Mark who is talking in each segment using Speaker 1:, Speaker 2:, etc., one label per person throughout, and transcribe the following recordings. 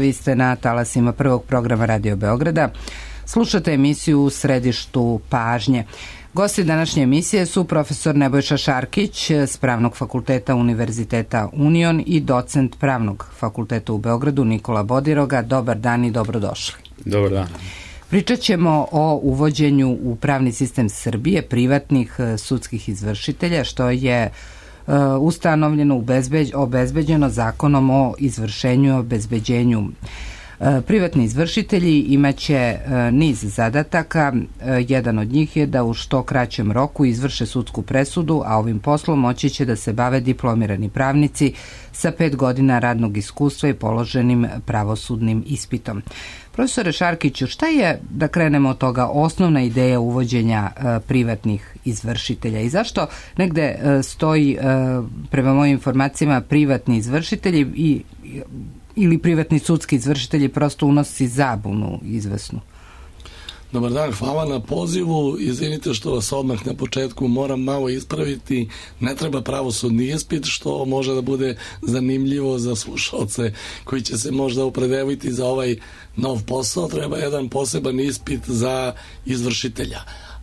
Speaker 1: vi ste na talasima prvog programa Radio Beograda. Slušate emisiju U središtu pažnje. Gosti današnje emisije su profesor Nebojša Šarkić s Pravnog fakulteta Univerziteta Union i docent Pravnog fakulteta u Beogradu Nikola Bodiroga. Dobar dan i dobrodošli.
Speaker 2: Dobar dan. Pričat
Speaker 1: ćemo o uvođenju u pravni sistem Srbije privatnih sudskih izvršitelja, što je ustanovljeno, obezbeđeno Zakonom o izvršenju i obezbeđenju. Privatni izvršitelji imaće niz zadataka. Jedan od njih je da u što kraćem roku izvrše sudsku presudu, a ovim poslom moći će da se bave diplomirani pravnici sa 5 godina radnog iskustva i položenim pravosudnim ispitom. Profesore Šarkiću, šta je, da krenemo od toga, osnovna ideja uvođenja privatnih izvršitelja i zašto negde stoji, prema mojim informacijama, privatni izvršitelji ili privatni sudski izvršitelji prosto unosi zabunu izvesnu?
Speaker 3: Dobar dan, hvala na pozivu. Izvinite što vas odmah na početku moram malo ispraviti. Ne treba pravosudni ispit, što može da bude zanimljivo za slušalce koji će se možda opredeliti za ovaj nov posao. Treba jedan poseban ispit za izvršitelja.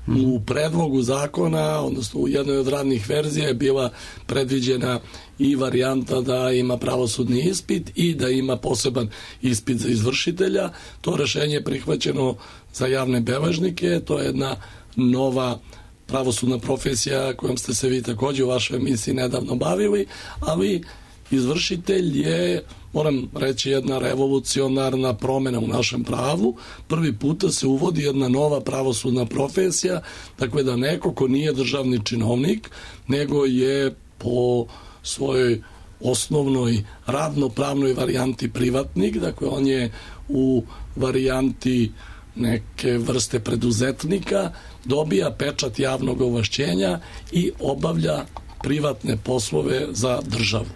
Speaker 3: U predlogu zakona, odnosno u jednoj od radnih verzija je bila predviđena i varijanta da ima pravosudni ispit i da ima poseban ispit za izvršitelja. To rešenje je prihvaćeno za javne beležnike. To je jedna nova pravosudna profesija kojom ste se vi također u vašoj emisiji nedavno bavili, ali izvršitelj je, moram reći, jedna revolucionarna promjena u našem pravu. Prvi puta se uvodi jedna nova pravosudna profesija, dakle da neko ko nije državni činovnik, nego je po svojoj osnovnoj radnopravnoj varijanti privatnik, dakle on je u varijanti neke vrste preduzetnika, dobija pečat javnog ovlašćenja i obavlja privatne poslove za državu.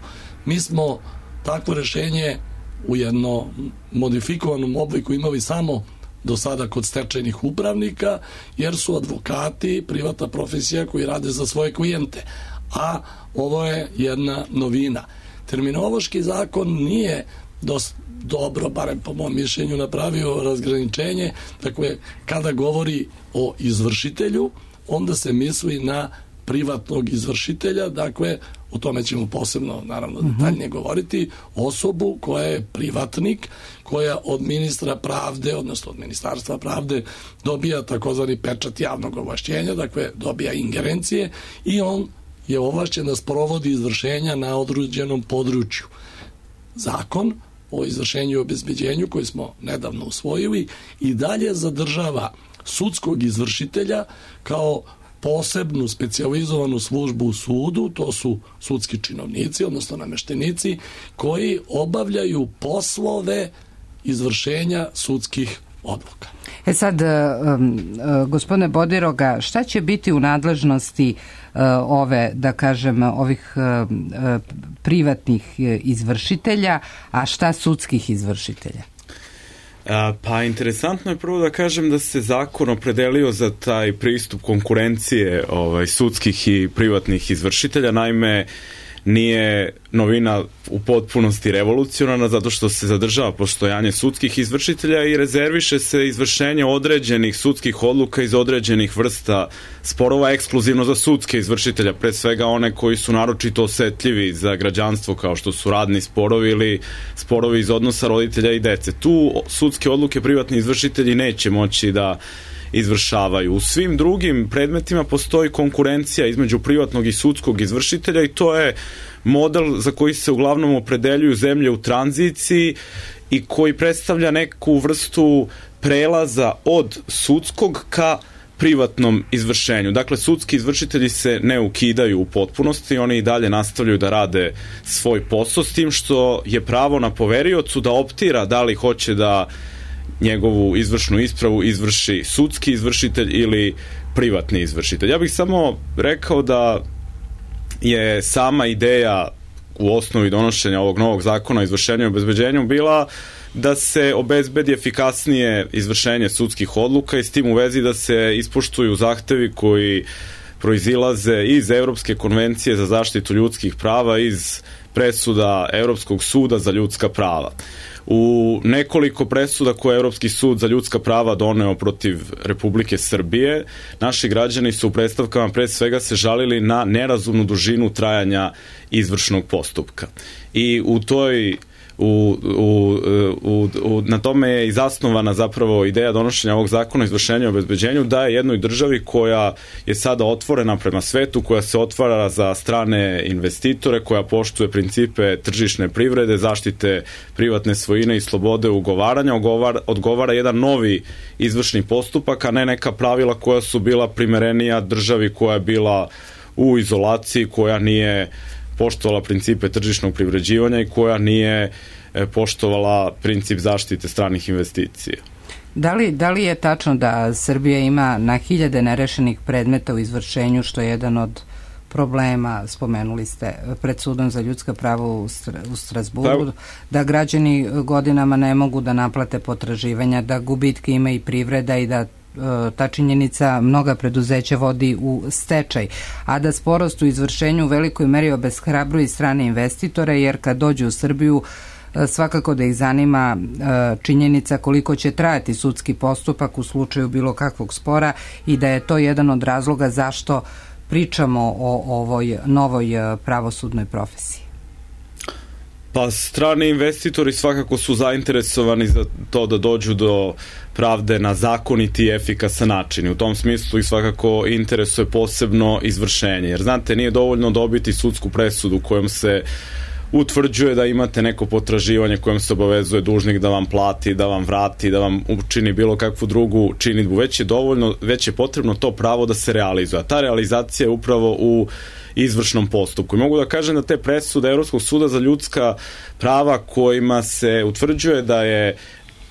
Speaker 3: Mi smo takvo rešenje u jednom modifikovanom obliku imali samo do sada kod stečajnih upravnika, jer su advokati privatna profesija koji rade za svoje klijente. A ovo je jedna novina. Terminološki zakon nije dobro, barem po mom mišljenju, napravio razgraničenje. Dakle, kada govori o izvršitelju, onda se misli na privatnog izvršitelja, dakle, o tome ćemo posebno, naravno, detaljnije govoriti, osobu koja je privatnik, koja od ministra pravde, odnosno od ministarstva pravde, dobija takozvani pečat javnog ovlašćenja, dakle, dobija ingerencije i on je ovlašćen da sprovodi izvršenja na određenom području. Zakon o izvršenju i obezbeđenju, koji smo nedavno usvojili, i dalje zadržava sudskog izvršitelja kao posebnu specijalizovanu službu u sudu. To su sudski činovnici, odnosno nameštenici, koji obavljaju poslove izvršenja sudskih odluka.
Speaker 1: Sad, gospodine Bodiroga, šta će biti u nadležnosti ovih privatnih izvršitelja, a šta sudskih izvršitelja?
Speaker 2: Pa interesantno je prvo da kažem da se zakon opredelio za taj pristup konkurencije sudskih i privatnih izvršitelja. Naime, nije novina u potpunosti revolucionarna zato što se zadržava postojanje sudskih izvršitelja i rezerviše se izvršenje određenih sudskih odluka iz određenih vrsta sporova ekskluzivno za sudske izvršitelja, pre svega one koji su naročito osetljivi za građanstvo, kao što su radni sporovi ili sporovi iz odnosa roditelja i dece. Tu sudske odluke privatni izvršitelji neće moći da izvršavaju. U svim drugim predmetima postoji konkurencija između privatnog i sudskog izvršitelja i to je model za koji se uglavnom opredeljuju zemlje u tranziciji i koji predstavlja neku vrstu prelaza od sudskog ka privatnom izvršenju. Dakle, sudski izvršitelji se ne ukidaju u potpunosti, oni i dalje nastavljaju da rade svoj posao, s tim što je pravo na poveriocu da optira da li hoće da njegovu izvršnu ispravu izvrši sudski izvršitelj ili privatni izvršitelj. Ja bih samo rekao da je sama ideja u osnovi donošenja ovog novog zakona o izvršenju i obezbeđenju bila da se obezbedi efikasnije izvršenje sudskih odluka i s tim u vezi da se ispoštuju zahtevi koji proizilaze iz Evropske konvencije za zaštitu ljudskih prava, iz presuda Evropskog suda za ljudska prava. U nekoliko presuda koje je Evropski sud za ljudska prava doneo protiv Republike Srbije, naši građani su u predstavkama pre svega se žalili na nerazumnu dužinu trajanja izvršnog postupka. I u toj na tome je i zasnovana zapravo ideja donošenja ovog zakona o izvršenju i obezbeđenju, da je jednoj državi koja je sada otvorena prema svetu, koja se otvara za strane investitore, koja poštuje principe tržišne privrede, zaštite privatne svojine i slobode ugovaranja, odgovara jedan novi izvršni postupak, a ne neka pravila koja su bila primerenija državi koja je bila u izolaciji, koja nije poštovala principe tržišnog privređivanja i koja nije poštovala princip zaštite stranih investicija.
Speaker 1: Da li je tačno da Srbija ima na hiljade nerešenih predmeta u izvršenju, što je jedan od problema, spomenuli ste, pred sudom za ljudska prava u Strazburu, da građani godinama ne mogu da naplate potraživanja, da gubitke ima i privreda i da ta činjenica mnoga preduzeća vodi u stečaj, a da sporost u izvršenju u velikoj meri obeshrabruje i strane investitore, jer kad dođu u Srbiju svakako da ih zanima činjenica koliko će trajati sudski postupak u slučaju bilo kakvog spora i da je to jedan od razloga zašto pričamo o ovoj novoj pravosudnoj profesiji.
Speaker 2: Pa strani investitori svakako su zainteresovani za to da dođu do pravde na zakoniti i efikasan način. U tom smislu ih svakako interesuje posebno izvršenje. Jer znate, nije dovoljno dobiti sudsku presudu kojom se utvrđuje da imate neko potraživanje kojom se obavezuje dužnik da vam plati, da vam vrati, da vam učini bilo kakvu drugu činidbu. Već je potrebno to pravo da se realizuje. A ta realizacija je upravo u izvršnom postupku. I mogu da kažem da te presude Evropskog suda za ljudska prava kojima se utvrđuje da je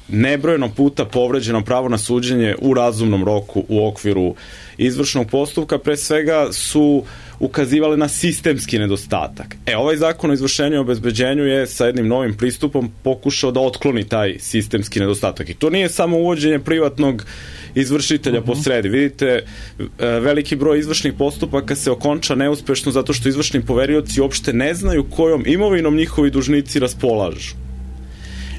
Speaker 2: nebrojeno puta povređeno pravo na suđenje u razumnom roku u okviru izvršnog postupka, pre svega su ukazivali na sistemski nedostatak. Ovaj zakon o izvršenju i obezbeđenju je sa jednim novim pristupom pokušao da otkloni taj sistemski nedostatak. I to nije samo uvođenje privatnog izvršitelja po sredi. Vidite, veliki broj izvršnih postupaka se okonča neuspešno zato što izvršni poverioci uopšte ne znaju kojom imovinom njihovi dužnici raspolažu.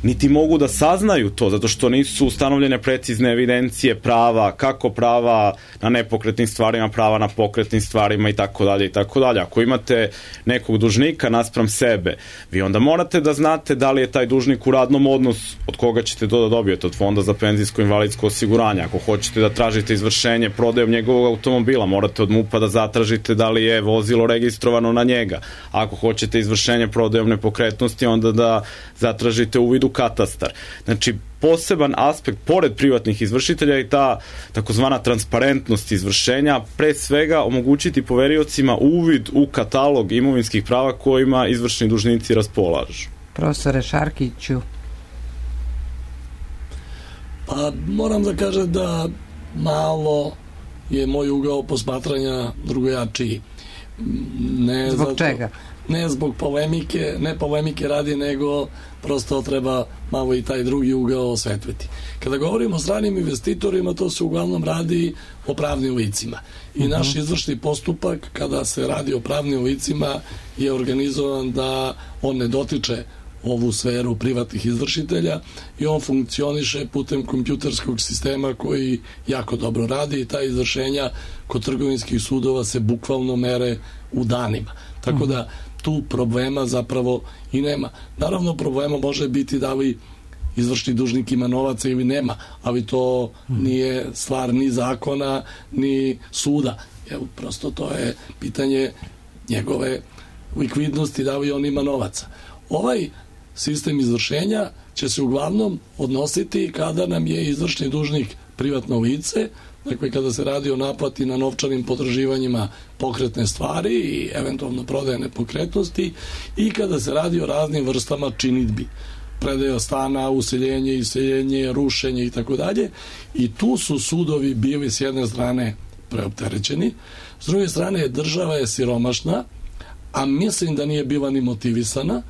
Speaker 2: Niti mogu da saznaju to, zato što nisu ustanovljene precizne evidencije prava, kako prava na nepokretnim stvarima, prava na pokretnim stvarima i tako dalje i tako dalje. Ako imate nekog dužnika naspram sebe, vi onda morate da znate da li je taj dužnik u radnom odnosu, od koga ćete to da dobijete, od Fonda za penzijsko i invalidsko osiguranje. Ako hoćete da tražite izvršenje prodajom njegovog automobila, morate od MUP-a da zatražite da li je vozilo registrovano na njega. Ako hoćete izvršenje prodajom nepokretnosti, onda da zatražite uvid u katastar. Znači, poseban aspekt, pored privatnih izvršitelja, je ta takozvana transparentnost izvršenja, pre svega omogućiti poveriocima uvid u katalog imovinskih prava kojima izvršni dužnici raspolažu.
Speaker 1: Profesore Šarkiću.
Speaker 3: Pa moram da kažem da malo je moj ugao posmatranja drugojačiji.
Speaker 1: Zbog čega?
Speaker 3: Ne zbog polemike radi, nego prosto treba malo i taj drugi ugao osvetliti. Kada govorimo o stranim investitorima, to se uglavnom radi o pravnim licima. I naš izvršni postupak, kada se radi o pravnim licima, je organizovan da on ne dotiče ovu sferu privatnih izvršitelja i on funkcioniše putem kompjuterskog sistema koji jako dobro radi i ta izvršenja kod trgovinskih sudova se bukvalno mere u danima. Tako da tu problema zapravo i nema. Naravno, problema može biti da li izvršni dužnik ima novaca ili nema, ali to nije stvar ni zakona, ni suda. Prosto to je pitanje njegove likvidnosti, da li on ima novaca. Ovaj sistem izvršenja će se uglavnom odnositi kada nam je izvršni dužnik privatno lice, dakle kada se radi o naplati na novčanim potraživanjima pokretne stvari i eventualno prodaje nepokretnosti i kada se radi o raznim vrstama činidbi, predaja stana, useljenje, iseljenje, rušenje i tako dalje. I tu su sudovi bili s jedne strane preopterećeni, s druge strane država je siromašna, a mislim da nije bila ni motivisana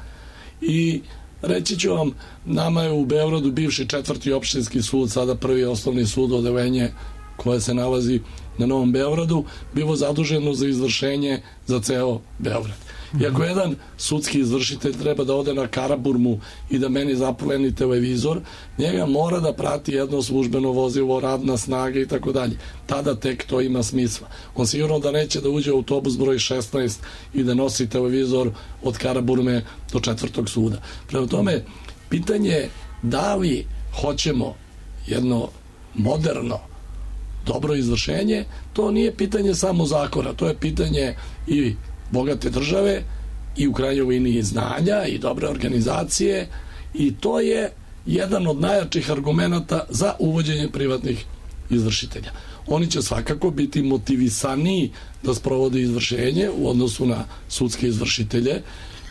Speaker 3: i reći ću vam, nama je u Beogradu bivši 4. opštinski sud, sada 1. osnovni sud, odeljenje koje se nalazi na Novom Beogradu, bilo zaduženo za izvršenje za ceo Beograd. I ako jedan sudski izvršitelj treba da ode na Karaburmu i da meni zapleni televizor, njega mora da prati jedno službeno vozilo, radna snaga i tako dalje. Tada tek to ima smisla. On sigurno da neće da uđe u autobus broj 16 i da nosi televizor od Karaburme do 4. suda. Prema tome, pitanje je da li hoćemo jedno moderno, dobro izvršenje, to nije pitanje samo zakona, to je pitanje i bogate države i u krajnjoj liniji znanja i dobre organizacije i to je jedan od najjačih argumenata za uvođenje privatnih izvršitelja. Oni će svakako biti motivisaniji da sprovode izvršenje u odnosu na sudske izvršitelje,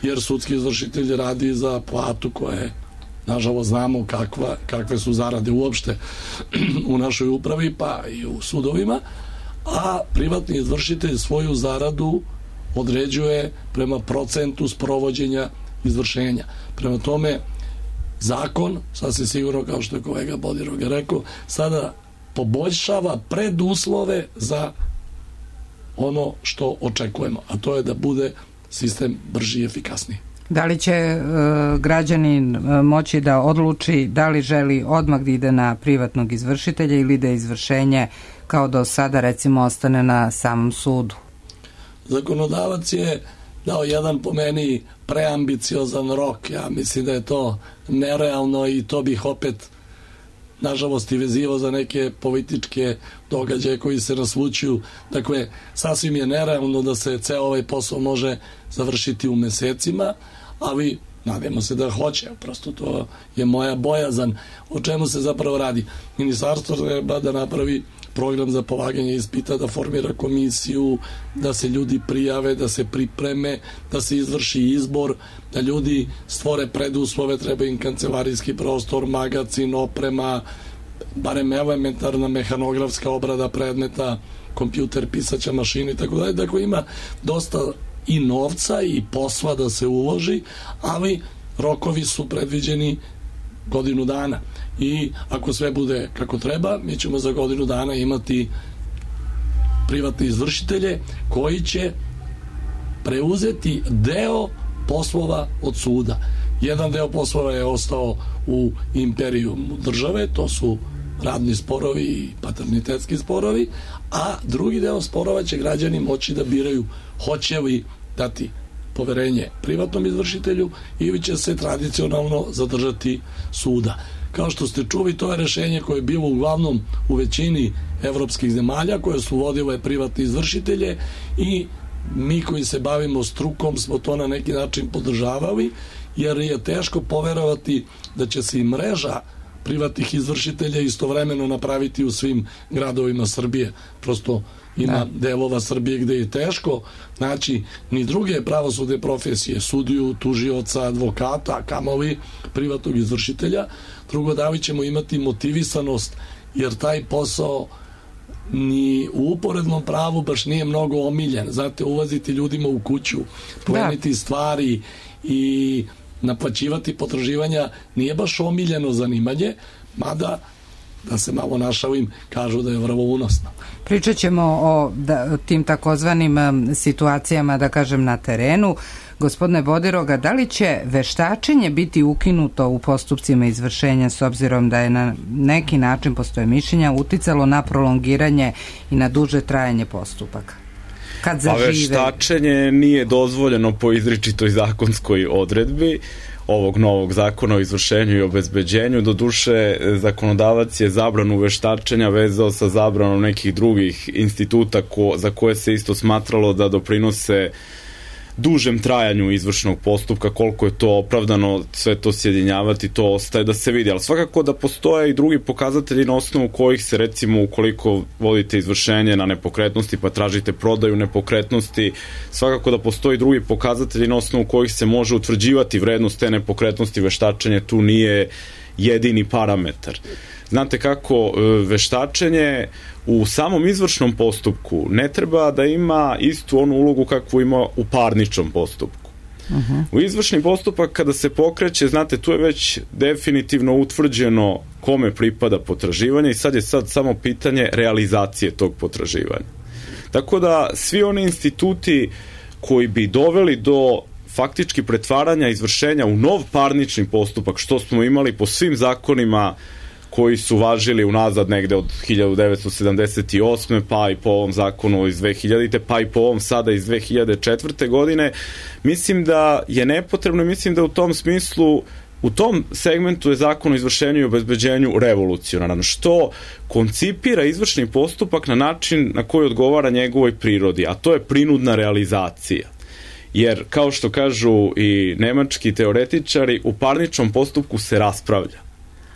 Speaker 3: jer sudski izvršitelj radi za platu koje, nažalost, znamo kakve su zarade uopšte u našoj upravi pa i u sudovima, a privatni izvršitelj svoju zaradu određuje prema procentu sprovođenja izvršenja. Prema tome, zakon, sasvim sigurno, kao što je kolega Bodiroga rekao, sada poboljšava preduslove za ono što očekujemo, a to je da bude sistem brži i efikasniji.
Speaker 1: Da li će građanin moći da odluči da li želi odmah da ide na privatnog izvršitelja ili da izvršenje kao do sada recimo ostane na samom sudu?
Speaker 3: Zakonodavac je dao jedan po meni preambiciozan rok. Ja mislim da je to nerealno i to bih opet nažalost i vezivao za neke političke događaje koji se naslućuju. Dakle, sasvim je nerealno da se ceo ovaj posao može završiti u mesecima, ali nadamo se da hoće, prosto to je moja bojazan. O čemu se zapravo radi? Ministarstvo treba da napravi program za polaganje ispita, da formira komisiju, da se ljudi prijave, da se pripreme, da se izvrši izbor, da ljudi stvore preduslove, treba im kancelarijski prostor, magacin, oprema, barem elementarna mehanografska obrada predmeta, kompjuter, pisaća mašina i tako dalje. Dakle, ima dosta i novca i posla da se uloži, ali rokovi su predviđeni godinu dana. I ako sve bude kako treba, mi ćemo za godinu dana imati privatne izvršitelje koji će preuzeti deo poslova od suda. Jedan deo poslova je ostao u imperiju države, to su radni sporovi i paternitetski sporovi, a drugi deo sporova će građani moći da biraju hoće li dati poverenje privatnom izvršitelju ili će se tradicionalno zadržati suda. Kao što ste čuli, to je rešenje koje je bilo uglavnom u većini evropskih zemalja koje su vodile privatne izvršitelje i mi koji se bavimo strukom smo to na neki način podržavali, jer je teško poverovati da će se i mreža privatnih izvršitelja istovremeno napraviti u svim gradovima Srbije. Prosto ima delova Srbije gde je teško naći ni druge pravosudne profesije, sudiju, tužioca, advokata, kamoli privatnog izvršitelja. Drugo, da li ćemo imati motivisanost, jer taj posao ni u uporednom pravu baš nije mnogo omiljen. Znate, ulaziti ljudima u kuću, pleniti stvari i naplaćivati potraživanja nije baš omiljeno zanimanje, mada, da se malo našalim, kažu da je vrlo unosno.
Speaker 1: Pričat ćemo o tim takozvanim situacijama, da kažem, na terenu. Gospodine Bodiroga, da li će veštačenje biti ukinuto u postupcima izvršenja, s obzirom da je na neki način, postoje mišljenja, uticalo na prolongiranje i na duže trajanje postupaka?
Speaker 2: Pa veštačenje nije dozvoljeno po izričitoj zakonskoj odredbi ovog novog zakona o izvršenju i obezbeđenju. Doduše, zakonodavac je zabranu veštačenja vezao sa zabranom nekih drugih instituta za koje se isto smatralo da doprinose dužem trajanju izvršnog postupka. Koliko je to opravdano sve to sjedinjavati, to ostaje da se vidi, ali svakako da postoje i drugi pokazatelji na osnovu kojih se, recimo, ukoliko vodite izvršenje na nepokretnosti pa tražite prodaju nepokretnosti, svakako da postoji drugi pokazatelji na osnovu kojih se može utvrđivati vrednost te nepokretnosti. Veštačenje tu nije jedini parametar. Znate kako, veštačenje u samom izvršnom postupku ne treba da ima istu onu ulogu kakvu ima u parničnom postupku. U izvršni postupak kada se pokreće, znate, tu je već definitivno utvrđeno kome pripada potraživanje i sad je samo pitanje realizacije tog potraživanja. Tako da svi oni instituti koji bi doveli do faktički pretvaranja izvršenja u nov parnični postupak, što smo imali po svim zakonima koji su važili unazad negde od 1978. pa i po ovom zakonu iz 2000. pa i po ovom sada iz 2004. godine, mislim da je nepotrebno i mislim da u tom smislu, u tom segmentu je zakon o izvršenju i obezbeđenju revolucionaran, što koncipira izvršni postupak na način na koji odgovara njegovoj prirodi, a to je prinudna realizacija. Jer, kao što kažu i nemački teoretičari, u parničnom postupku se raspravlja,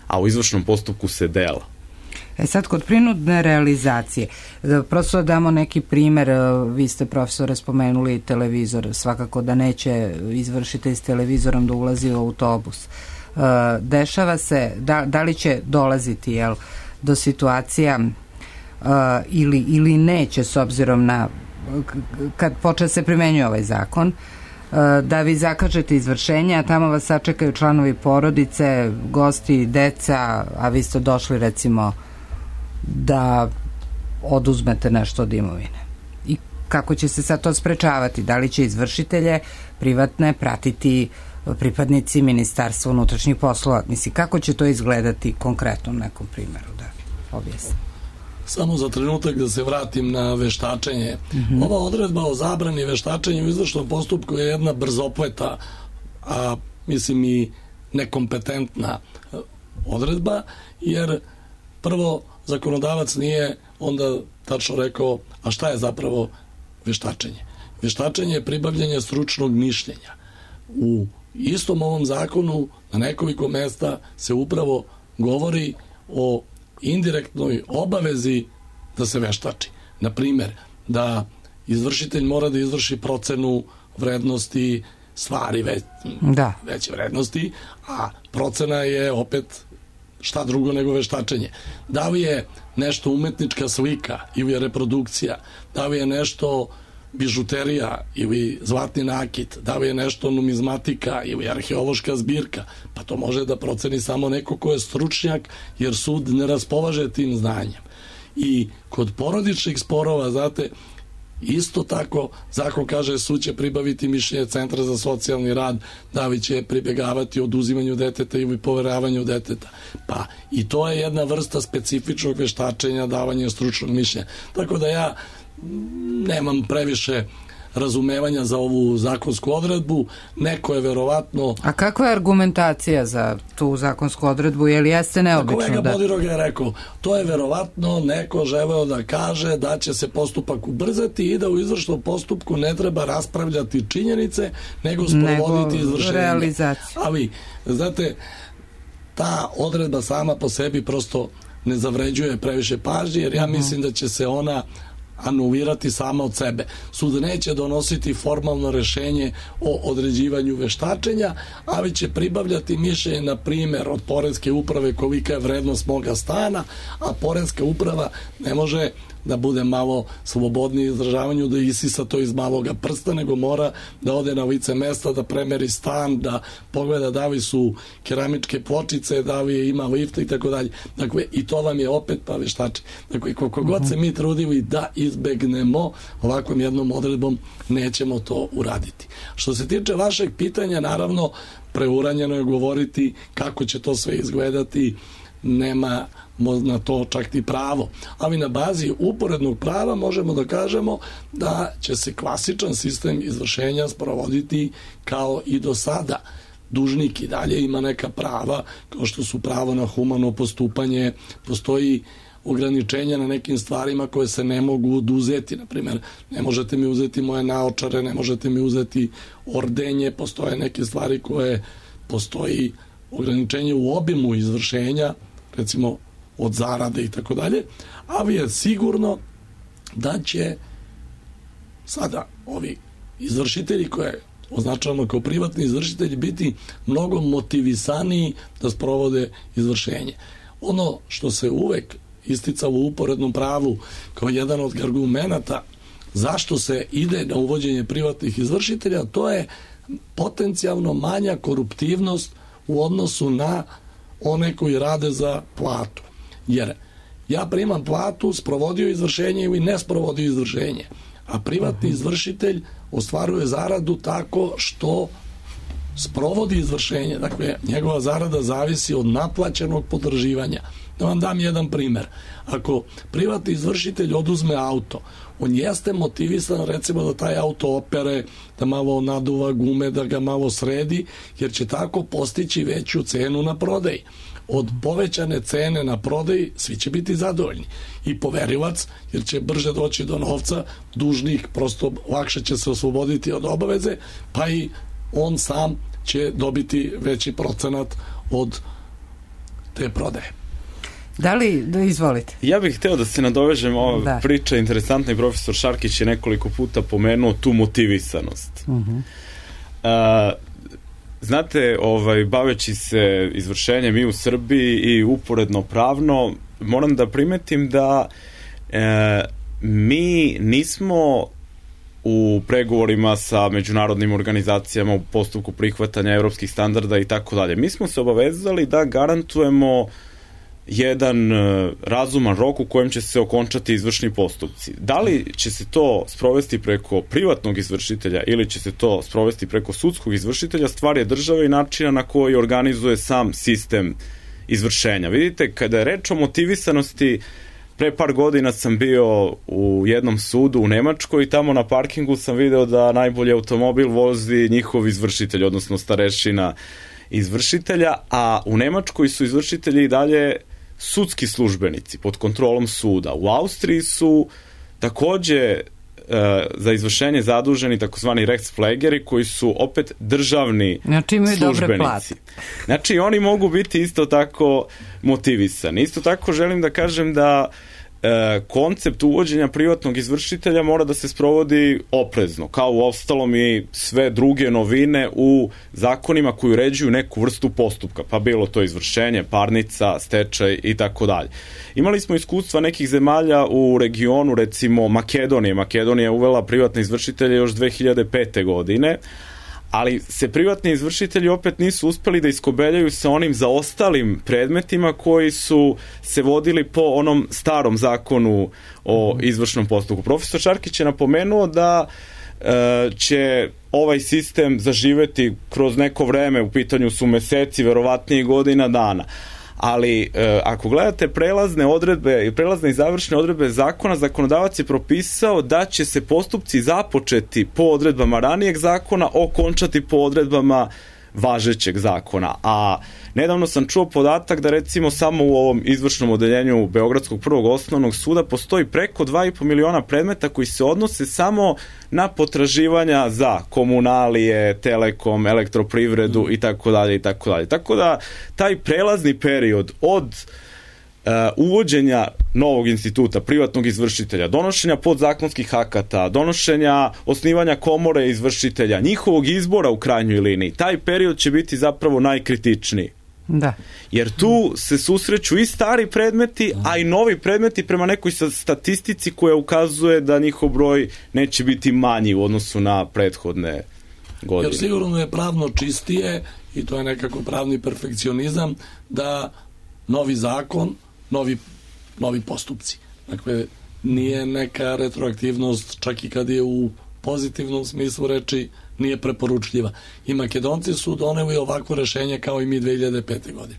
Speaker 2: a u izvršnom postupku se dela.
Speaker 1: Sad, kod prinudne realizacije, prosto damo neki primer, vi ste, profesore, spomenuli televizor, svakako da neće izvršitelj s televizorom da ulazi u autobus. Dešava se, da li će dolaziti do situacija ili neće, s obzirom na kad počne se primenjuje ovaj zakon, da vi zakažete izvršenje, a tamo vas sačekaju članovi porodice, gosti, deca, a vi ste došli recimo da oduzmete nešto od imovine. I kako će se sad to sprečavati? Da li će izvršitelje privatne pratiti pripadnici Ministarstva unutrašnjih poslova? Mislim, kako će to izgledati konkretno u nekom primjeru, da objasnim?
Speaker 3: Samo za trenutak da se vratim na veštačenje. Ova odredba o zabrani veštačenja u izvršnom postupku je jedna brzopleta, a mislim i nekompetentna odredba, jer prvo zakonodavac nije onda tačno rekao, a šta je zapravo veštačenje? Veštačenje je pribavljanje stručnog mišljenja. U istom ovom zakonu na nekoliko mesta se upravo govori o indirektnoj obavezi da se veštači. Na primer, da izvršitelj mora da izvrši procenu vrednosti stvari veće vrednosti, a procena je opet šta drugo nego veštačenje. Da li je nešto umetnička slika ili je reprodukcija, da li je nešto bižuterija ili zlatni nakit, da li je nešto numizmatika ili arheološka zbirka, pa to može da proceni samo neko ko je stručnjak, jer sud ne raspolaže tim znanjem. I kod porodičnih sporova, znate, isto tako zakon kaže sud će pribaviti mišljenje Centra za socijalni rad, da li će pribegavati oduzimanju deteta ili poveravanju deteta. Pa i to je jedna vrsta specifičnog veštačenja, davanja stručnog mišljenja. Tako da ja nemam previše razumevanja za ovu zakonsku odredbu, neko je verovatno...
Speaker 1: A kakva je argumentacija za tu zakonsku odredbu, je li jeste neobično?
Speaker 3: Kolega Bodiroga je rekao, to je verovatno neko želeo da kaže da će se postupak ubrzati i da u izvršnom postupku ne treba raspravljati činjenice, nego sprovoditi izvršenje.
Speaker 1: Realizaciju.
Speaker 3: Ali, znate, ta odredba sama po sebi prosto ne zavređuje previše pažnje, jer ja mislim da će se ona anulirati sama od sebe. Sud neće donositi formalno rešenje o određivanju veštačenja, ali će pribavljati mišljenje, na primjer, od poreske uprave kolika je vrednost moga stana, a poreska uprava ne može da bude malo slobodniji izražavanju, da isisa to iz maloga prsta, nego mora da ode na lice mesta, da premeri stan, da pogleda da li su keramičke pločice, da li ima lifta i tako dalje. Dakle, i to vam je opet pa veštači. Dakle, koliko god se mi trudili da izbegnemo ovakvom jednom odredbom, nećemo to uraditi. Što se tiče vašeg pitanja, naravno, preuranjeno je govoriti kako će to sve izgledati, nema na to čak i pravo. Ali na bazi uporednog prava možemo da kažemo da će se klasičan sistem izvršenja sprovoditi kao i do sada. Dužnik i dalje ima neka prava, kao što su pravo na humano postupanje, postoji ograničenja na nekim stvarima koje se ne mogu oduzeti. Naprimjer, ne možete mi uzeti moje naočare, ne možete mi uzeti ordenje, postoje neke stvari koje postoji ograničenje u obimu izvršenja, recimo od zarade i tako dalje, ali je sigurno da će sada ovi izvršitelji koje označavamo kao privatni izvršitelji biti mnogo motivisaniji da sprovode izvršenje. Ono što se uvek isticalo u uporednom pravu kao jedan od argumenata zašto se ide na uvođenje privatnih izvršitelja, to je potencijalno manja koruptivnost u odnosu na one koji rade za platu. Jer ja primam platu, sprovodio izvršenje ili ne sprovodio izvršenje, a privatni izvršitelj ostvaruje zaradu tako što sprovodi izvršenje. Dakle, njegova zarada zavisi od naplaćenog potraživanja. Da vam dam jedan primer. Ako privatni izvršitelj oduzme auto, on jeste motivisan recimo da taj auto opere, da malo naduva gume, da ga malo sredi, jer će tako postići veću cenu na prodaji. Od povećane cene na prodaji svi će biti zadovoljni. I poverilac, jer će brže doći do novca, dužnik prosto lakše će se osloboditi od obaveze, pa i on sam će dobiti veći procenat od te prodaje.
Speaker 1: Izvolite.
Speaker 2: Ja bih hteo da se nadovežem, ova priča interesantna i profesor Šarkić je nekoliko puta pomenuo tu motivisanost. Znate, baveći se izvršenjem i u Srbiji i uporedno pravno, moram da primetim da mi nismo u pregovorima sa međunarodnim organizacijama u postupku prihvatanja evropskih standarda i tako dalje. Mi smo se obavezali da garantujemo jedan razuman rok u kojem će se okončati izvršni postupci. Da li će se to sprovesti preko privatnog izvršitelja ili će se to sprovesti preko sudskog izvršitelja, stvar je države i načina na koji organizuje sam sistem izvršenja. Vidite, kada je reč o motivisanosti, pre par godina sam bio u jednom sudu u Nemačkoj i tamo na parkingu sam video da najbolji automobil vozi njihov izvršitelj, odnosno starešina izvršitelja, a u Nemačkoj su izvršitelji i dalje sudski službenici pod kontrolom suda. U Austriji su takođe za izvršenje zaduženi takozvani Rechtspflegeri koji su opet državni službenici. Znači oni mogu biti isto tako motivisani. Isto tako želim da kažem da koncept uvođenja privatnog izvršitelja mora da se sprovodi oprezno, kao u ostalom i sve druge novine u zakonima koji uređuju neku vrstu postupka, pa bilo to izvršenje, parnica, stečaj i tako dalje. Imali smo iskustva nekih zemalja u regionu, recimo Makedonije. Makedonija je uvela privatne izvršitelje još 2005. godine, ali se privatni izvršitelji opet nisu uspeli da iskobeljaju sa onim zaostalim predmetima koji su se vodili po onom starom zakonu o izvršnom postupku. Profesor Šarkić je napomenuo da će ovaj sistem zaživeti kroz neko vreme, u pitanju su meseci, verovatnije godina dana. Ali ako gledate prelazne odredbe i prelazne i završne odredbe zakona, zakonodavac je propisao da će se postupci započeti po odredbama ranijeg zakona, okončati po odredbama važećeg zakona. A nedavno sam čuo podatak da recimo samo u ovom izvršnom odeljenju Beogradskog prvog osnovnog suda postoji preko 2,5 miliona predmeta koji se odnose samo na potraživanja za komunalije, telekom, elektroprivredu i tako dalje i tako dalje. Tako da taj prelazni period od uvođenja novog instituta, privatnog izvršitelja, donošenja podzakonskih akata, donošenja, osnivanja komore izvršitelja, njihovog izbora u krajnjoj liniji, taj period će biti zapravo najkritičniji.
Speaker 1: Da.
Speaker 2: Jer tu se susreću i stari predmeti, a i novi predmeti prema nekoj statistici koja ukazuje da njihov broj neće biti manji u odnosu na prethodne godine.
Speaker 3: Jer sigurno je pravno čistije, i to je nekako pravni perfekcionizam, da novi zakon, novi postupci. Dakle, nije neka retroaktivnost, čak i kad je u pozitivnom smislu reči, nije preporučljiva. I Makedonci su doneli ovako rešenje kao i mi 2005. godine.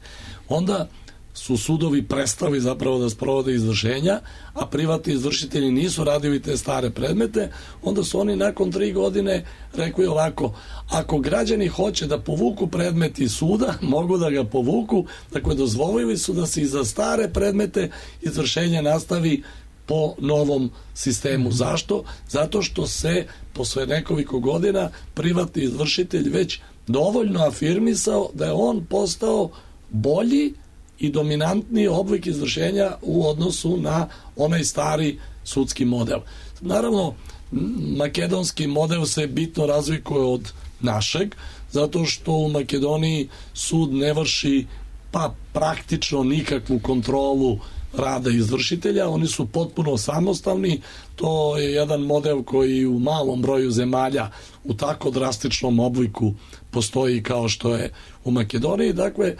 Speaker 3: Onda su sudovi prestali zapravo da sprovode izvršenja, a privatni izvršitelji nisu radili te stare predmete, onda su oni nakon 3 godine rekli ovako, ako građani hoće da povuku predmet iz suda, mogu da ga povuku, dakle dozvolili su da se i za stare predmete izvršenje nastavi po novom sistemu. Zašto? Zato što se posle nekoliko godina privatni izvršitelj već dovoljno afirmisao da je on postao bolji i dominantniji oblik izvršenja u odnosu na onaj stari sudski model. Naravno, makedonski model se bitno razlikuje od našeg, zato što u Makedoniji sud ne vrši pa praktično nikakvu kontrolu rada izvršitelja, oni su potpuno samostalni, to je jedan model koji u malom broju zemalja u tako drastičnom obliku postoji kao što je u Makedoniji. Dakle,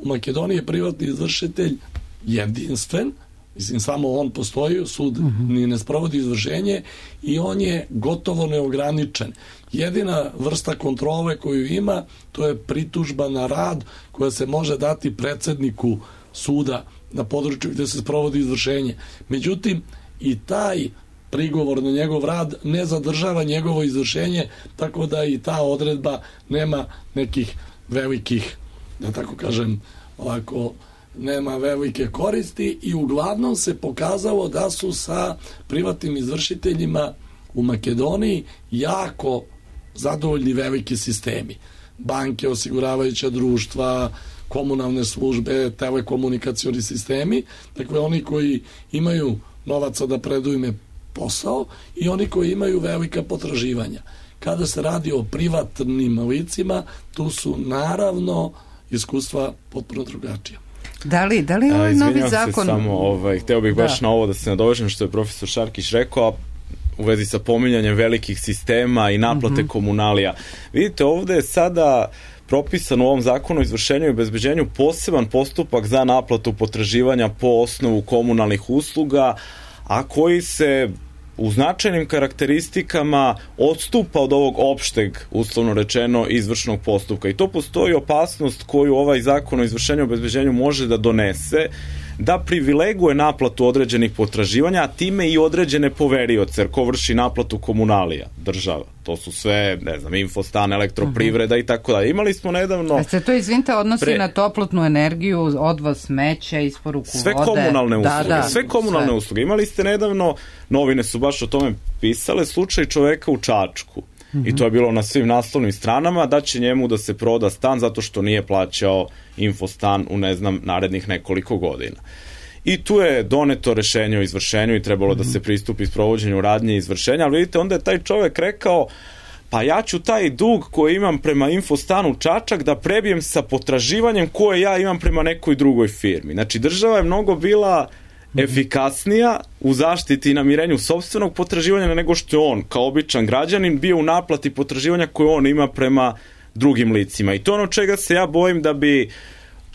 Speaker 3: u Makedoniji je privatni izvršitelj jedinstven, mislim, samo on postoji, sud ni ne sprovodi izvršenje i on je gotovo neograničen. Jedina vrsta kontrole koju ima, to je pritužba na rad koja se može dati predsedniku suda na području gde se sprovodi izvršenje. Međutim, i taj prigovor na njegov rad ne zadržava njegovo izvršenje, tako da i ta odredba nema nekih velikih, da tako kažem, ovako, nema velike koristi i uglavnom se pokazalo da su sa privatnim izvršiteljima u Makedoniji jako zadovoljni veliki sistemi. Banke, osiguravajuća društva, komunalne službe, telekomunikacioni sistemi, dakle oni koji imaju novaca da predaju im posao i oni koji imaju velika potraživanja. Kada se radi o privatnim licima, tu su naravno iskustva potpuno drugačija.
Speaker 1: Da li ovaj novi zakon...
Speaker 2: Samo, hteo bih baš na ovo da se nadovežem što je profesor Šarkić rekao, u vezi sa pominjanjem velikih sistema i naplate komunalija. Vidite, ovde je sada propisan u ovom zakonu o izvršenju i obezbeđenju poseban postupak za naplatu potraživanja po osnovu komunalnih usluga, a koji se u značajnim karakteristikama odstupa od ovog opšteg, uslovno rečeno, izvršnog postupka. I to postoji opasnost koju ovaj zakon o izvršenju i obezbeđenju može da donese, da privileguje naplatu određenih potraživanja, a time i određene poverioce, jer ko vrši naplatu komunalija? Država. To su sve, ne znam, Infostan, Elektroprivreda i tako dalje. Imali smo nedavno... A
Speaker 1: se to, izvinite, odnosi na toplotnu energiju, odvoz smeća, isporuku vode?
Speaker 2: Sve komunalne usluge. Sve komunalne usluge. Imali ste nedavno, novine su baš o tome pisale, slučaj čoveka u Čačku. I to je bilo na svim naslovnim stranama, da će njemu da se proda stan zato što nije plaćao Infostan u, ne znam, narednih nekoliko godina. I tu je doneto rešenje o izvršenju i trebalo da se pristupi sprovođenju radnje i izvršenja, ali vidite, onda je taj čovek rekao, pa ja ću taj dug koji imam prema Infostanu Čačak da prebijem sa potraživanjem koje ja imam prema nekoj drugoj firmi. Znači, država je mnogo bila efikasnija u zaštiti i namirenju sopstvenog potraživanja nego što je on, kao običan građanin, bio u naplati potraživanja koje on ima prema drugim licima. I to ono čega se ja bojim da bi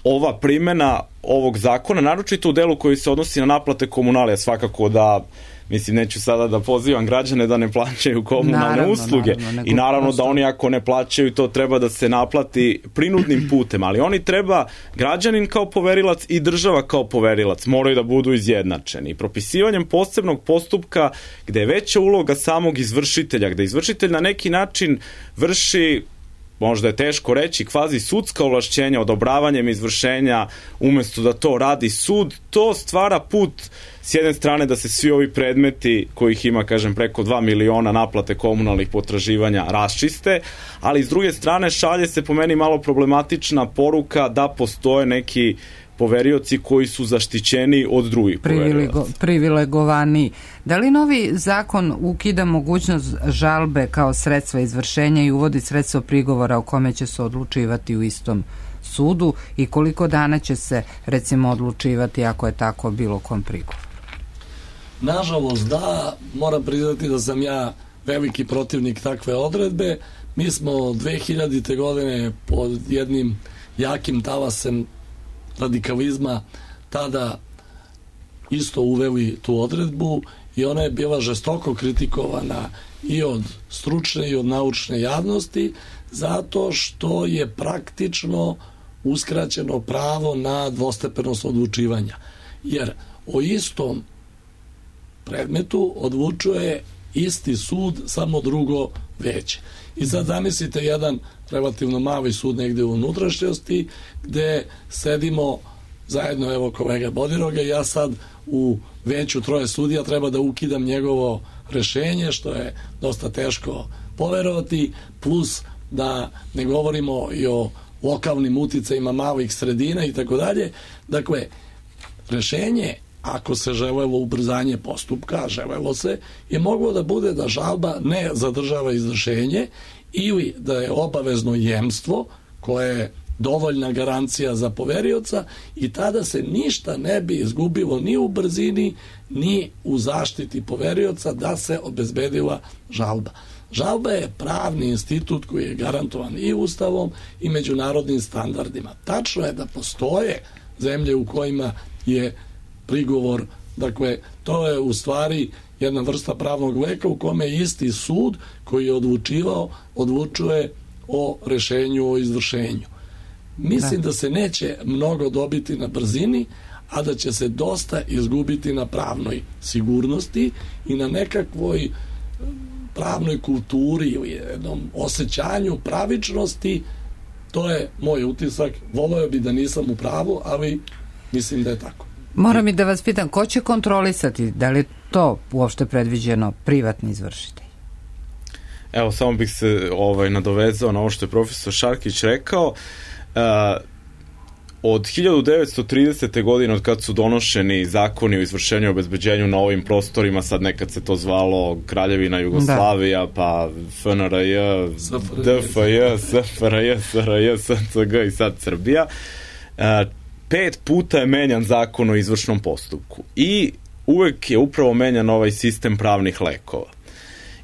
Speaker 2: ova primena ovog zakona, naročito u delu koji se odnosi na naplate komunalija, svakako da, mislim, neću sada da pozivam građane da ne plaćaju komunalne usluge. I naravno da oni ako ne plaćaju, to treba da se naplati prinudnim putem, ali oni treba, građanin kao poverilac i država kao poverilac moraju da budu izjednačeni. Propisivanjem posebnog postupka gde je veća uloga samog izvršitelja, gde izvršitelj na neki način vrši, možda je teško reći, kvazi sudska ovlašćenja odobravanjem izvršenja umesto da to radi sud, to stvara put s jedne strane da se svi ovi predmeti, kojih ima, kažem, preko 2 miliona naplate komunalnih potraživanja, raščiste, ali s druge strane šalje se po meni malo problematična poruka da postoje neki poverioci koji su zaštićeni od drugih poverioca.
Speaker 1: Privilegovani. Da li novi zakon ukida mogućnost žalbe kao sredstva izvršenja i uvodi sredstvo prigovora o kome će se odlučivati u istom sudu i koliko dana će se, recimo, odlučivati ako je tako bilo kom prigovor?
Speaker 3: Nažalost, da, moram priznati da sam ja veliki protivnik takve odredbe. Mi smo 2000. godine pod jednim jakim talasem radikalizma tada isto uveli tu odredbu i ona je bila žestoko kritikovana i od stručne i od naučne javnosti zato što je praktično uskraćeno pravo na dvostepenost odlučivanja. Jer o istom predmetu odlučuje isti sud, samo drugo veće. I sad zamislite jedan relativno mali sud negde u unutrašnjosti gde sedimo zajedno, evo kolega Bodiroga, ja sad u veću 3 sudija treba da ukidam njegovo rešenje, što je dosta teško poverovati, plus da ne govorimo i o lokalnim uticajima malih sredina i tako dalje. Dakle, rešenje, ako se želelo ubrzanje postupka, želelo se, je moglo da bude da žalba ne zadržava izvršenje ili da je obavezno jemstvo koje dovoljna garancija za poverioca i tada se ništa ne bi izgubilo ni u brzini, ni u zaštiti poverioca da se obezbedila žalba. Žalba je pravni institut koji je garantovan i Ustavom i međunarodnim standardima. Tačno je da postoje zemlje u kojima je prigovor, dakle, to je u stvari jedna vrsta pravnog leka u kome isti sud koji je odlučuje o rešenju o izvršenju. Mislim da se neće mnogo dobiti na brzini, a da će se dosta izgubiti na pravnoj sigurnosti i na nekakvoj pravnoj kulturi ili jednom osjećanju pravičnosti. To je moj utisak. Voleo bi da nisam u pravu, ali mislim da je tako.
Speaker 1: Moram i da vas pitam, ko će kontrolisati? Da li je to uopšte predviđeno privatni izvršitelj?
Speaker 2: Evo, samo bih se nadovezao na ovo što je profesor Šarkić rekao. Od 1930. godine, od kad su donošeni zakoni o izvršenju i obezbeđenju na ovim prostorima, sad nekad se to zvalo Kraljevina Jugoslavija, pa FNRJ, DFJ, SFRJ, SRJ, SCG i sad Srbija, 5 puta je menjan zakon o izvršnom postupku i uvek je upravo menjan ovaj sistem pravnih lekova.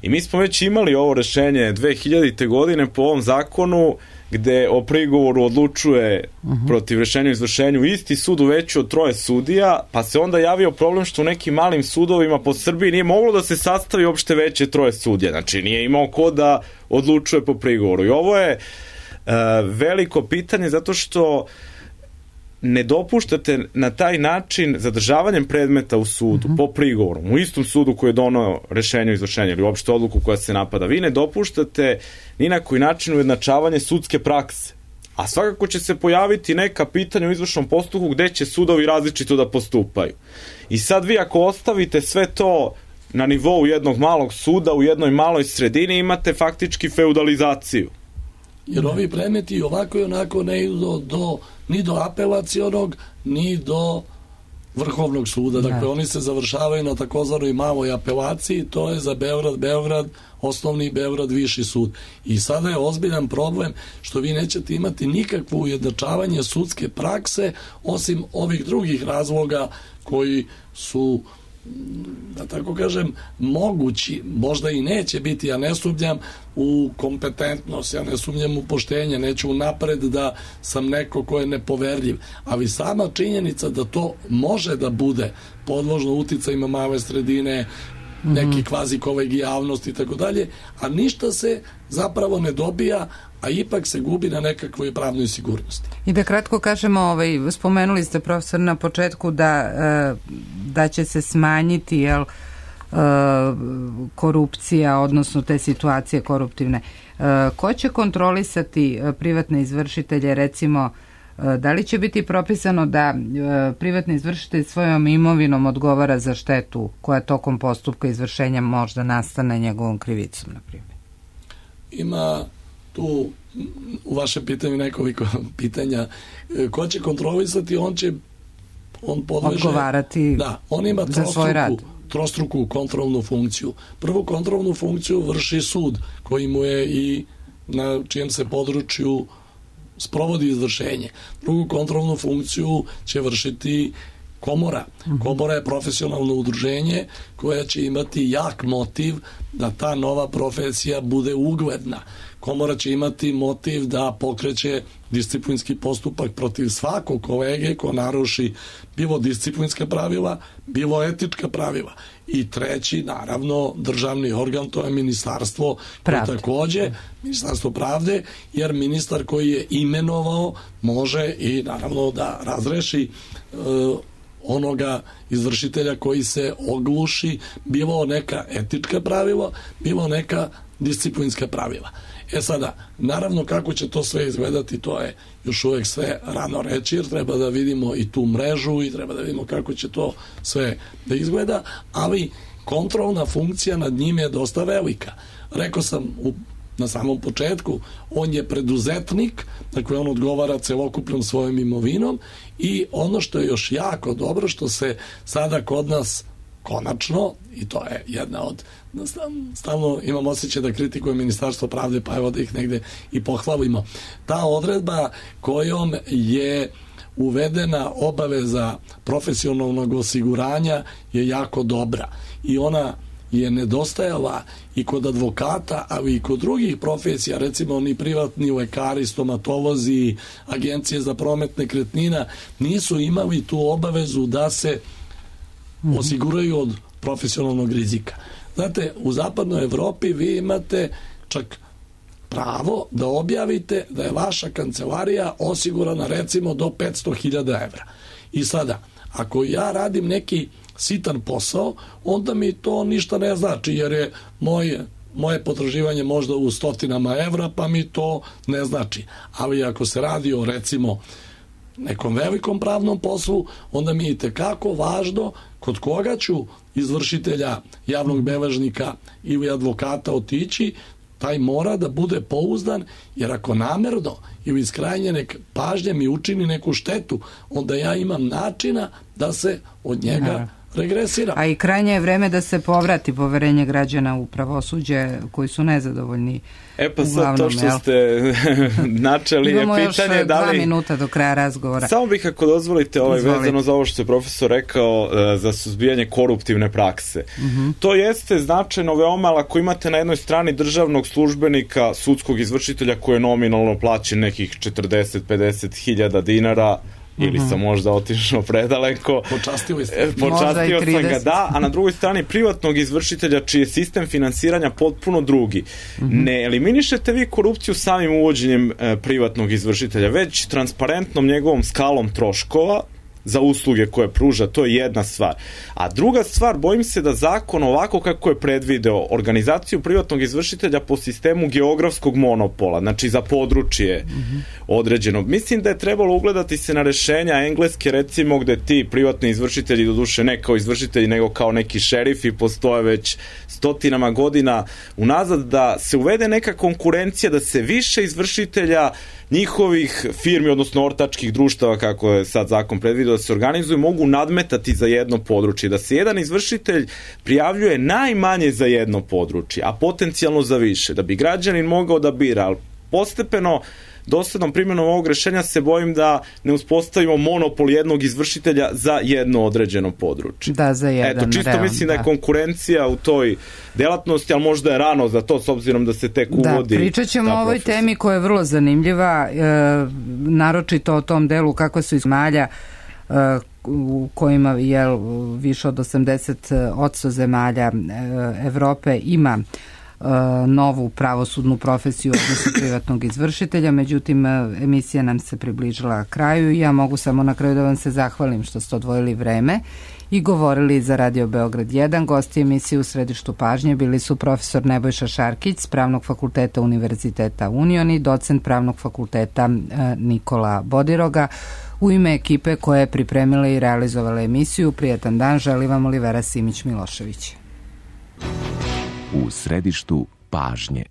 Speaker 2: I mi smo već imali ovo rešenje 2000. godine po ovom zakonu gde o prigovoru odlučuje protiv rešenja o izvršenju isti sud u veću od 3 sudija, pa se onda javio problem što u nekim malim sudovima po Srbiji nije moglo da se sastavi uopšte veće 3 sudija. Znači nije imao ko da odlučuje po prigovoru. I ovo je veliko pitanje zato što ne dopuštate na taj način zadržavanjem predmeta u sudu po prigovoru, u istom sudu koji je donao rešenje o izvršenju ili uopšte odluku koja se napada, vi ne dopuštate ni na koji način ujednačavanje sudske prakse. A svakako će se pojaviti neka pitanja u izvršnom postupku gde će sudovi različito da postupaju. I sad vi ako ostavite sve to na nivou jednog malog suda u jednoj maloj sredini, imate faktički feudalizaciju.
Speaker 3: Jer ovi predmeti ovako i onako ne idu ni do apelacionog, ni do Vrhovnog suda. Dakle, oni se završavaju na takozvanoj maloj apelaciji, to je za Beograd, osnovni Beograd, viši sud. I sada je ozbiljan problem što vi nećete imati nikakvo ujednačavanje sudske prakse, osim ovih drugih razloga koji su, da tako kažem, mogući, možda i neće biti, ja ne sumnjam u kompetentnost, ja ne sumnjam u poštenje, neću napred da sam neko ko je nepoverljiv, ali sama činjenica da to može da bude podložno uticajima male sredine, neki kvazi kolegijalnost i tako dalje, a ništa se zapravo ne dobija, a ipak se gubi na nekakvoj pravnoj sigurnosti.
Speaker 1: I da kratko kažemo, spomenuli ste, profesor, na početku da će se smanjiti korupcija, odnosno te situacije koruptivne. Ko će kontrolisati privatne izvršitelje, recimo, da li će biti propisano da privatni izvršitelj svojom imovinom odgovara za štetu koja tokom postupka izvršenja možda nastane njegovom krivicom, na primjer?
Speaker 3: Ima tu u vašem pitanju nekoliko pitanja. Ko će kontrolisati, on podleže
Speaker 1: odgovarati
Speaker 3: on ima
Speaker 1: za svoj rad.
Speaker 3: Trostruku kontrolnu funkciju. Prvu kontrolnu funkciju vrši sud koji mu je i na čijem se području sprovodi izvršenje. Drugu kontrolnu funkciju će vršiti komora. Komora je profesionalno udruženje koja će imati jak motiv da ta nova profesija bude ugledna. Komora će imati motiv da pokreće disciplinski postupak protiv svakog kolege ko naruši bilo disciplinska pravila, bilo etička pravila. I treći, naravno, državni organ, to je Ministarstvo pravde. Takođe, Ministarstvo pravde, jer ministar koji je imenovao može i naravno da razreši onoga izvršitelja koji se ogluši, bilo neka etička pravila, bilo neka disciplinska pravila. Sada, naravno kako će to sve izgledati, to je još uvek sve rano reći, jer treba da vidimo i tu mrežu i treba da vidimo kako će to sve da izgleda, ali kontrolna funkcija nad njim je dosta velika. Rekao sam na samom početku, on je preduzetnik, dakle on odgovara celokupnom svojom imovinom i ono što je još jako dobro, što se sada kod nas konačno i to je jedna od, stalno imam osjećaj da kritikujem Ministarstvo pravde, pa evo da ih negde i pohvalimo. Ta odredba kojom je uvedena obaveza profesionalnog osiguranja je jako dobra i ona je nedostajala i kod advokata, ali i kod drugih profesija, recimo oni privatni lekari, stomatolozi, agencije za promet nekretnina, nisu imali tu obavezu da se osiguraju od profesionalnog rizika. Znate, u zapadnoj Evropi vi imate čak pravo da objavite da je vaša kancelarija osigurana recimo do 500.000 evra. I sada, ako ja radim neki sitan posao, onda mi to ništa ne znači, jer je moje potraživanje možda u stotinama evra, pa mi to ne znači. Ali ako se radi o recimo nekom velikom pravnom poslu, onda mi je itekako važno kod koga ću izvršitelja, javnog beležnika ili advokata otići, taj mora da bude pouzdan, jer ako namerno ili iz krajnje pažnje mi učini neku štetu, onda ja imam načina da se od njega regresira.
Speaker 1: A i krajnje je vreme da se povrati poverenje građana u pravosuđe koji su nezadovoljni.
Speaker 2: Pa sad to što ste načeli je pitanje da li...
Speaker 1: Imamo još 2 minuta do kraja razgovora.
Speaker 2: Samo bih, ako dozvolite, vezano za ovo što je profesor rekao za suzbijanje koruptivne prakse. To jeste značajno veoma, ali ako imate na jednoj strani državnog službenika, sudskog izvršitelja koji je nominalno plaćen nekih 40-50 hiljada dinara, ili sam možda otišao predaleko.
Speaker 3: Počastio
Speaker 2: sam ga, da, a na drugoj strani privatnog izvršitelja čiji je sistem finansiranja potpuno drugi. Ne eliminišete vi korupciju samim uvođenjem privatnog izvršitelja, već transparentnom njegovom skalom troškova za usluge koje pruža, to je jedna stvar. A druga stvar, bojim se da zakon ovako kako je predvideo organizaciju privatnog izvršitelja po sistemu geografskog monopola, znači za područje određeno. Mislim da je trebalo ugledati se na rešenja engleske, recimo, gde ti privatni izvršitelji, doduše ne kao izvršitelji, nego kao neki šerifi, postoje već stotinama godina unazad, da se uvede neka konkurencija, da se više izvršitelja njihovih firmi, odnosno ortačkih društava, kako je sad zakon predvidio, da se organizuju, mogu nadmetati za jedno područje, da se jedan izvršitelj prijavljuje najmanje za jedno područje, a potencijalno za više, da bi građanin mogao da bira, ali postepeno doslednom primjenom ovog rešenja se bojim da ne uspostavimo monopol jednog izvršitelja za jedno određeno područje.
Speaker 1: Da, za jedan.
Speaker 2: Čisto mislim da je konkurencija u toj delatnosti, ali možda je rano za to, s obzirom da se tek uvodi.
Speaker 1: Da, pričat ćemo o ovoj temi koja je vrlo zanimljiva, naročito o tom delu kako su zemalja u kojima je više od 80% zemalja Evrope ima novu pravosudnu profesiju odnosno privatnog izvršitelja, međutim emisija nam se približila kraju i ja mogu samo na kraju da vam se zahvalim što ste odvojili vreme i govorili za Radio Beograd 1. Gosti emisije u središtu pažnje bili su profesor Nebojša Šarkić s Pravnog fakulteta Univerziteta Union i docent Pravnog fakulteta Nikola Bodiroga. U ime ekipe koja je pripremila i realizovala emisiju, prijatan dan želi vam Olivera Simić-Milošević.
Speaker 4: U središtu pažnje.